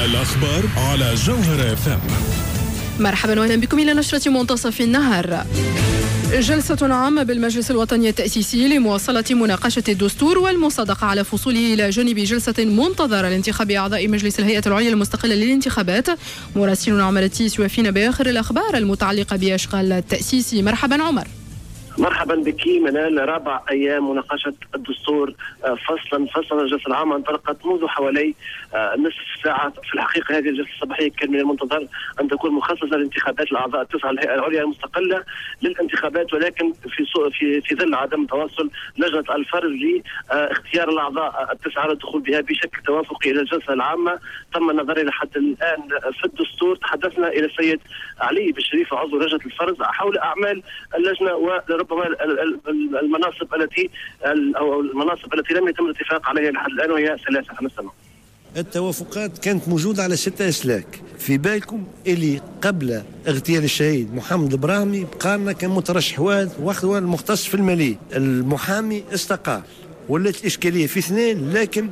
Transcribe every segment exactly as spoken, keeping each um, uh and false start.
الأخبار على جوهرة اف ام. مرحبا واهلا بكم الى نشرة منتصف النهار. جلسة عامة بالمجلس الوطني التأسيسي لمواصلة مناقشة الدستور والمصادقة على فصوله، إلى جانب جلسة منتظرة لانتخاب أعضاء مجلس الهيئة العليا المستقلة للانتخابات. مراسلنا عمر التيس يوافينا بآخر الأخبار المتعلقة بأشغال التأسيس. مرحبا عمر. مرحبا بك منال. رابع ايام مناقشة الدستور فصلا فصلا. الجلسة العامة انطلقت منذ حوالي نصف ساعة. في الحقيقة هذه الجلسة الصباحية كان من المنتظر ان تكون مخصصة لانتخابات الاعضاء التسعة للهيئة العليا المستقلة للانتخابات، ولكن في في في ظل عدم توصل لجنة الفرز لاختيار الاعضاء التسعة للدخول بها بشكل توافقي الى الجلسة العامة، تم النظر الى حد الان في الدستور. تحدثنا الى السيد علي بالشريف عضو لجنة الفرز حول اعمال اللجنة وربما المناصب التي او المناصب التي لم يتم الاتفاق عليها لحد الان، وهي ثلاثة. نستمع. التوافقات كانت موجودة على ستة اسلاك. في بالكم اللي قبل اغتيال الشهيد محمد البراهمي بقى كان مترشح واحد وهو المختص في المالية، المحامي استقال، ولات الاشكالية في اثنين، لكن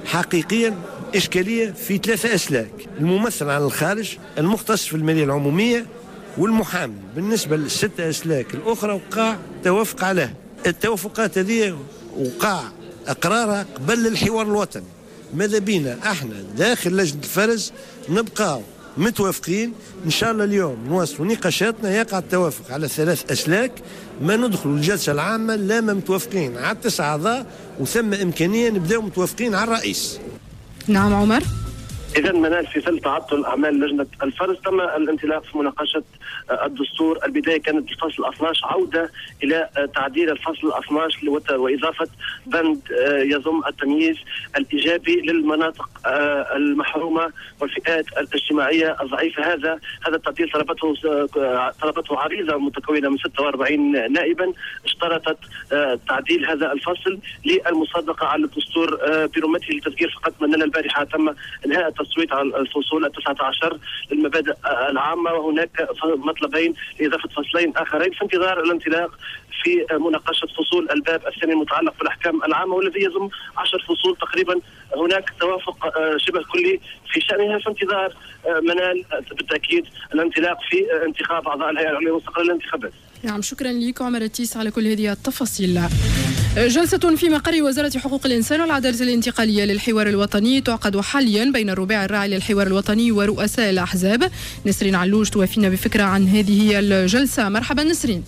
حقيقيا اشكالية في ثلاثة اسلاك: الممثل عن الخارج، المختص في المالية العمومية، والمحامي. بالنسبة للستة أسلاك الأخرى وقع توافق عليها. التوافقات هذه وقع إقرارها قبل الحوار الوطني. ماذا بينا احنا داخل لجنة الفرز نبقاو متوافقين. إن شاء الله اليوم نواصلوا نقاشاتنا، يقع التوافق على ثلاث أسلاك، ما ندخلوا الجلسة العامة لا ما متوافقين على تسع أعضاء، وثم إمكانية نبداو متوافقين على الرئيس. نعم عمر. إذا منال، في ظل تعطل أعمال لجنة الفرز تم الانطلاق في مناقشة الدستور. البداية كانت بالفصل اثناش، عودة إلى تعديل الفصل اثناش وإضافة بند يضم التمييز الإيجابي للمناطق المحرومة والفئات الاجتماعية الضعيفة. هذا هذا التعديل طلبته طلبته عريضة متكونة من ستة وأربعين نائبا، اشترطت تعديل هذا الفصل للمصادقة على الدستور برمته. للتذكير فقط، منال، البارحة تم إنهاء التصويت على الفصول التسعة عشر للمبادئ العامة، وهناك مطلبين لإضافة فصلين آخرين في انتظار الانطلاق في مناقشة فصول الباب الثاني المتعلق بالأحكام العامة، والذي يضم عشر فصول تقريبا. هناك توافق شبه كلي في شأنها، في انتظار منال بالتأكيد الانطلاق في انتخاب أعضاء الهيئة العليا المستقلة للانتخابات. نعم، شكرا لك عمر التيس على كل هذه التفاصيل. جلسة في مقر وزارة حقوق الإنسان والعدالة الانتقالية للحوار الوطني تعقد حاليا بين الرباعي الراعي للحوار الوطني ورؤساء الأحزاب. نسرين علوش توافينا بفكرة عن هذه الجلسة. مرحبا نسرين.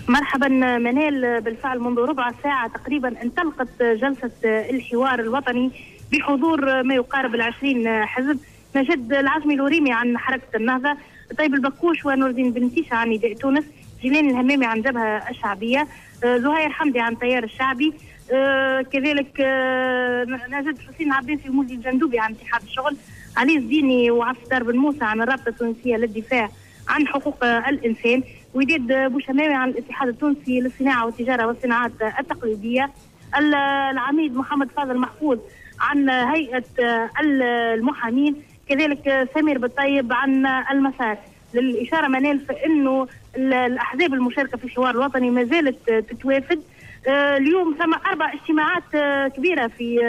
مرحبا منال. بالفعل منذ ربع ساعة تقريبا انطلقت جلسة الحوار الوطني بحضور ما يقارب العشرين حزب. نجد العزمي الوريمي عن حركة النهضة، طيب البكوش ونور الدين بن تيشة عن نداء تونس، جيلان الهمامي عن جبهة الشعبية، زهير حمدي عن تيار الشعبي، كذلك نجد حسين عباسي ومولدي الجندوبي عن اتحاد الشغل، علي الزيني وعبد الستار بن موسى عن الرابطة التونسية للدفاع عن حقوق الإنسان، وداد بوشماوي عن الاتحاد التونسي للصناعة والتجارة والصناعات التقليدية، العميد محمد فاضل محفوظ عن هيئة المحامين، كذلك سمير بالطيب عن المسار. للإشارة منال فإنه الأحزاب المشاركة في الحوار الوطني ما زالت تتوافد. اليوم ثم أربع اجتماعات كبيرة في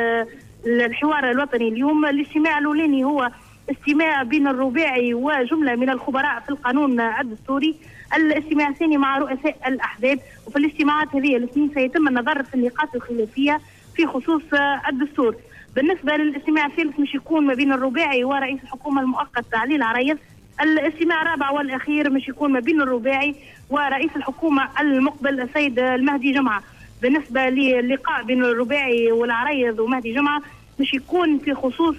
الحوار الوطني اليوم. الاجتماع الأولاني هو اجتماع بين الرباعي وجملة من الخبراء في القانون الدستوري، الاجتماع الثاني مع رؤساء الأحزاب، وفي الاجتماعات هذه الاثنين سيتم النظر في النقاط الخلافية في خصوص الدستور. بالنسبة للاجتماع الثالث مش يكون ما بين الرباعي ورئيس الحكومة المؤقت علي العريض. الاجتماع الرابع والأخير مش يكون ما بين الرباعي ورئيس الحكومة المقبل السيد المهدي جمعة. بالنسبة للقاء بين الرباعي والعريض ومهدي جمعة مش يكون في خصوص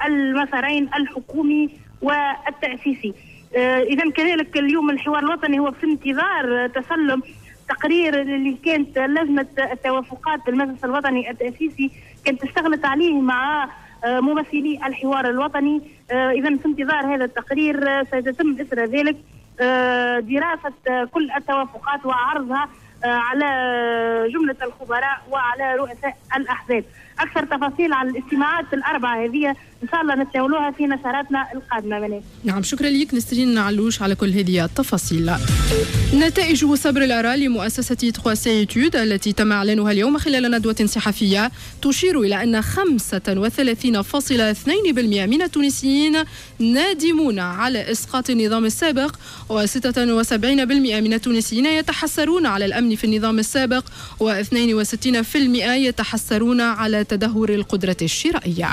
المسارين الحكومي والتأسيسي. إذا كذلك اليوم الحوار الوطني هو في انتظار تسلم تقرير اللي كانت لجنة التوافقات بالمجلس الوطني التأسيسي كانت اشتغلت عليه مع ممثلي الحوار الوطني. إذا في انتظار هذا التقرير سيتم إثر ذلك دراسة كل التوافقات وعرضها على جملة الخبراء وعلى رؤساء الأحزاب. أكثر تفاصيل على الاجتماعات الأربعة هذه إن شاء الله نتناولوها في نشراتنا القادمة. منال. نعم، شكرا لك نسرين علوش على كل هذه التفاصيل. نتائج سبر الآراء لمؤسسة ثلاثة C Études التي تم إعلانها اليوم خلال ندوة صحفية تشير إلى أن خمسة وثلاثين فاصلة اثنين بالمئة من التونسيين نادمون على إسقاط النظام السابق، وستة وسبعين بالمئة من التونسيين يتحسرون على الأمن في النظام السابق، واثنين وستين بالمئة يتحسرون على تدهور القدرة الشرائية.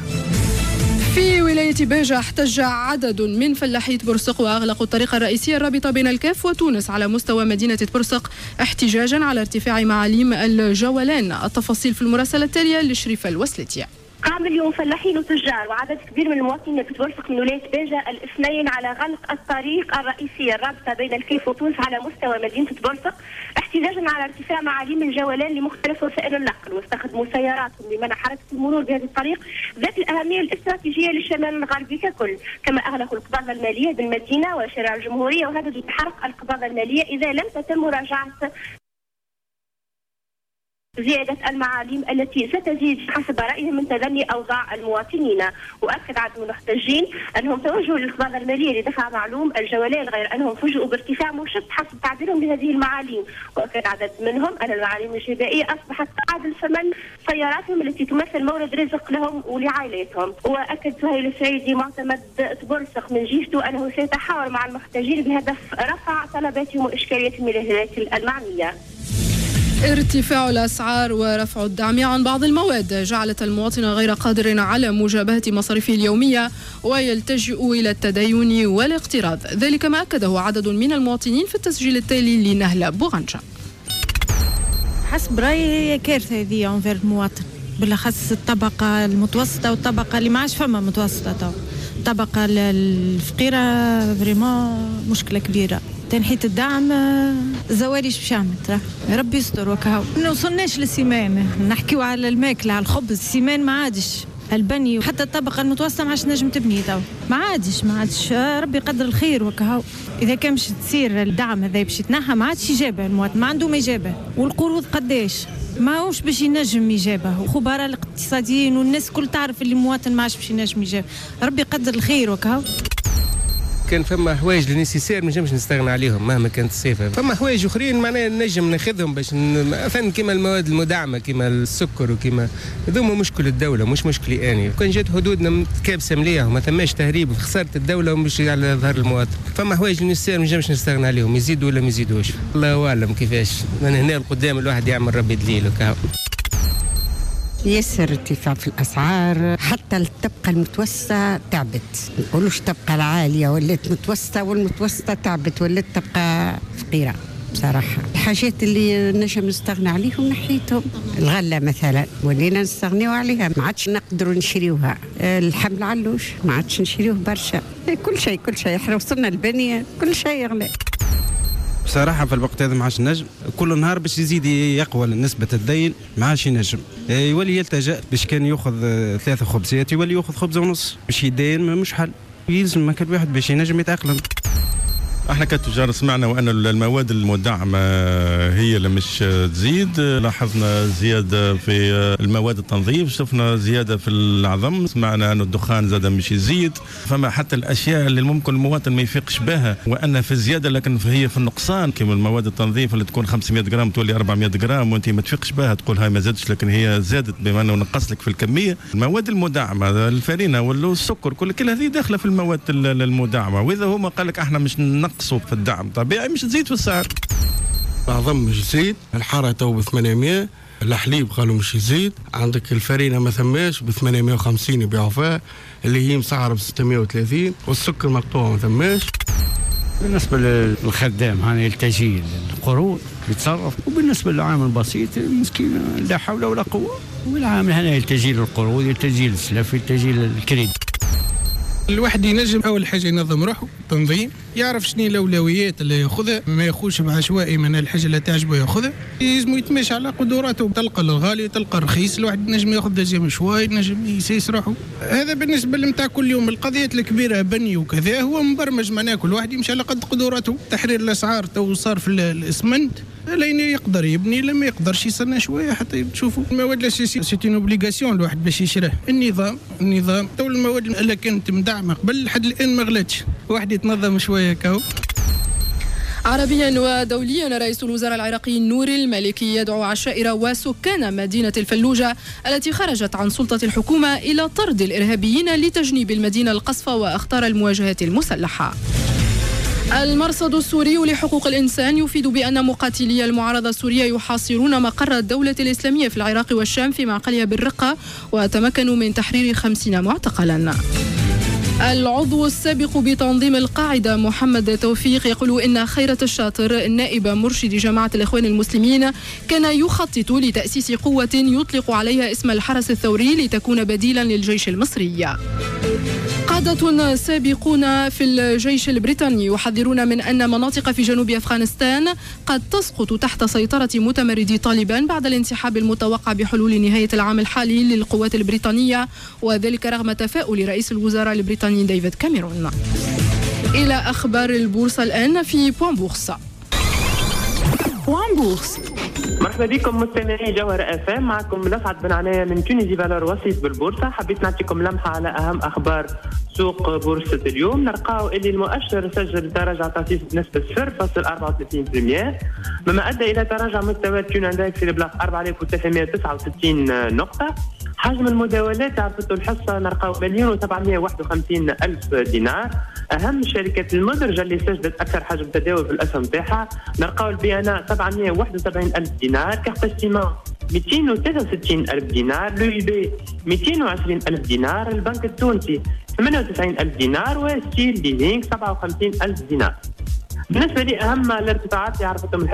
في ولاية باجة احتج عدد من فلاحي برسق وأغلقوا الطريق الرئيسي الرابطة بين الكاف وتونس على مستوى مدينة برسق احتجاجا على ارتفاع معاليم الجولان. التفاصيل في المراسلة التالية لشريفة الوسلتية. قام اليوم فلاحين وتجار وعدد كبير من المواطنين في تبرسق من ولاية باجة الاثنين على غلق الطريق الرئيسي الرابطة بين الكيف وتونس على مستوى مدينة تبرسق احتجاجا على ارتفاع معاليم الجولان لمختلف وسائل النقل، واستخدموا سياراتهم لمنع حركة المرور بهذا الطريق ذات الأهمية الاستراتيجية للشمال الغربي ككل. كما أغلقوا القباضة المالية بالمدينة وشارع الجمهورية وهددوا بحرق القباضة المالية إذا لم تتم مراجعة زيادة المعاليم التي ستزيد حسب رأيهم من تدني أوضاع المواطنين. وأكد عدد من المحتجين أنهم توجهوا للقباضة المالية لدفع معلوم الجولان، غير أنهم فوجئوا بارتفاع مشط حسب تعبيرهم لهذه المعاليم. وأكد عدد منهم أن المعاليم الجبائية أصبحت تعادل ثمن سياراتهم التي تمثل مورد رزق لهم ولعائلاتهم. وأكد سهيل السعيدي معتمد تبرسق من جهته أنه سيتحاور مع المحتجين بهدف رفع طلباتهم وإشكالياتهم إلى الهيئات المعنية. ارتفاع الأسعار ورفع الدعم عن بعض المواد جعلت المواطن غير قادر على مجابهة مصاريفه اليومية ويلتجئ إلى التدين والاقتراض، ذلك ما أكده عدد من المواطنين في التسجيل التالي لنهلة بوغنجة. حسب رأيي هي كارثة هذه envers المواطن، بالأخص الطبقة المتوسطة والطبقة اللي ما عادش فما متوسطة تو، الطبقة الفقيرة vraiment مشكلة كبيرة. تنحية الدعم الزوالي باش يعمل ترى ربي يستر وكهو. ما وصلناش لل ciment، نحكيو على الماكلة على الخبز، ال ciment ما عادش، البني حتى الطبقة المتوسطة ما عادش نجم تبني تو، ما عادش ما عادش، ربي يقدر الخير وكهو. اذا كان باش تصير الدعم هذا باش يتنحى ما عادش يجابه المواطن، ما عنده ما يجابه، والقروض قداش ماهوش باش ينجم يجابه، خبراء الاقتصاديين والناس كل تعرف اللي المواطن ما عادش باش ينجم يجابه، ربي يقدر الخير وكهو. كان فما حوايج اللي nécessaires ما نجمش نستغنى عليهم مهما كانت الصفة، فما حوايج اخرين معناها نجم ناخذهم باش مثلا كيما المواد المدعمه كيما السكر وكيما هذوما مشكل الدولة مش مشكلي اني، كان جات حدودنا متكابسه مليح وما ثماش تهريب خسارة الدولة ومش على ظهر المواطن، فما حوايج nécessaires ما نجمش نستغنى عليهم يزيدوا ولا ما يزيدوش، الله اعلم كيفاش، من هنا لقدام الواحد يعمل ربي دليل وكهو. ياسر ارتفاع في الاسعار، حتى الطبقة المتوسطة تعبت، ما نقولوش الطبقة العالية ولات متوسطه، والمتوسطة تعبت ولات طبقه فقيرة بصراحة. الحاجات اللي نجم نستغنى عليهم نحيتهم، الغلة مثلا ولينا نستغنيو عليها، ما عادش نقدروا نشريوها، اللحم العلوش ما عادش نشريوه برشا، كل شيء كل شيء، احنا وصلنا البنية كل شيء يغلى. بصراحة في الوقت هذا ما عادش نجم، كل نهار باش يزيد يقوى نسبة الدين ما عادش ينجم، يولي يلتجأ باش كان ياخذ ثلاثة خبزات يولي ياخذ خبزة ونص، باش يدين مش حل، يلزم كل واحد باش ينجم يتأقلم. احنا كتجار سمعنا وان المواد المدعمه هي اللي مش تزيد، لاحظنا زيادة في المواد التنظيف، شفنا زيادة في العظم، سمعنا ان الدخان زاد مش يزيد، فما حتى الاشياء اللي ممكن المواطن ما يفيقش بها وان في الزيادة لكن هي في النقصان، كما المواد التنظيف اللي تكون خمسمية غرام تولي أربعمية غرام وانت ما تفيقش بها تقول هاي ما زادتش لكن هي زادت بما انه نقص لك في الكمية. المواد المدعمه الفارينه والسكر كل كل هذه داخله في المواد المدعمه، واذا هما قال لك احنا مش نقص في الدعم طبيعي مش تزيد في السعر. العظم مش يزيد، الحارة تو ب ثمانمية، الحليب قالوا مش يزيد، عندك الفرينة ما ثماش ب ثمانمية وخمسين يبيعوا فيها اللي هي مسعره ب ستمية وثلاثين، والسكر مقطوع ما ثماش. بالنسبة للخدام هاني يلتجي للقروض يتصرف، وبالنسبة للعامل البسيط المسكين لا حول ولا قوة، والعامل هنا يلتجي للقروض، يلتجي للسلف، يلتجي للكريدي. الواحد ينجم اول حاجة ينظم روحه، تنظيم، يعرف شنو الاولويات اللي ياخذها، ما ياخذش بعشوائي من الحاجة اللي تعجبه ياخذها، يلزم يتماشى على قدراته، تلقى الغالي تلقى الرخيص، الواحد ينجم ياخذ deuxième choix، ينجم يسيس روحه. هذا بالنسبة لمتاع كل يوم. القضيات الكبيرة بني وكذا هو مبرمج، معناها كل واحد يمشي على قد قدراته. تحرير الاسعار تو صار في الاسمنت، لين يقدر يبني، لما يقدرش يستنى شوية حتى تشوفوا المواد الاساسية، c'est une obligation الواحد باش يشريه. النظام النظام تو المواد اللي كانت مدعمه قبل لحد الان ما غلاتش، واحد يتنظم شوية كهو. عربيا ودوليا، رئيس الوزراء العراقي نوري المالكي يدعو عشائر وسكان مدينة الفلوجة التي خرجت عن سلطة الحكومة إلى طرد الإرهابيين لتجنيب المدينة القصف وأخطار المواجهات المسلحة. المرصد السوري لحقوق الإنسان يفيد بأن مقاتلي المعارضة السورية يحاصرون مقر الدولة الإسلامية في العراق والشام في معقلها بالرقة، وتمكنوا من تحرير خمسين معتقلا. العضو السابق بتنظيم القاعدة محمد توفيق يقول إن خيرت الشاطر نائب مرشد جماعة الإخوان المسلمين كان يخطط لتأسيس قوة يطلق عليها اسم الحرس الثوري لتكون بديلا للجيش المصري. قادة سابقون في الجيش البريطاني يحذرون من أن مناطق في جنوب أفغانستان قد تسقط تحت سيطرة متمردي طالبان بعد الانسحاب المتوقع بحلول نهاية العام الحالي للقوات البريطانية، وذلك رغم تفاؤل رئيس الوزراء البريطاني ديفيد كاميرون. إلى أخبار البورصة الآن في Point Bourse. Point Bourse. مرحبا بكم مستمعي جوهرة اف ام، معكم لسعد بن عناية من Tunisie Valeurs وسيط بالبورصة. حبيت نعطيكم لمحة على أهم أخبار سوق بورصة اليوم. نلقاو اللي المؤشر سجل تراجع طفيف بنسبة صفر فاصلة أربعة وثلاثين بالمئة، مما أدى إلى تراجع مستوى Tunindex في بلاغ أربعة آلاف وثلاثمئة وتسعة وستين نقطة. حجم المداولات عرفته الحصة نلقاو مليون وسبعمئة وواحد وخمسين ألف دينار. أهم الشركات المدرجة اللي سجلت أكثر حجم تداول في الأسهم تاعها نلقاو ال BNA سبعمئة وواحد وسبعين ألف دينار، Carthage Ciment مئتين وثلاثة وستين ألف دينار، l'UIB مئتين وعشرين ألف دينار، البنك التونسي ثمانية وتسعين ألف دينار، وستيل ليزينغ سبعة وخمسين ألف دينار. بالنسبة لأهم الارتفاعات اللي عرفتهم الحصة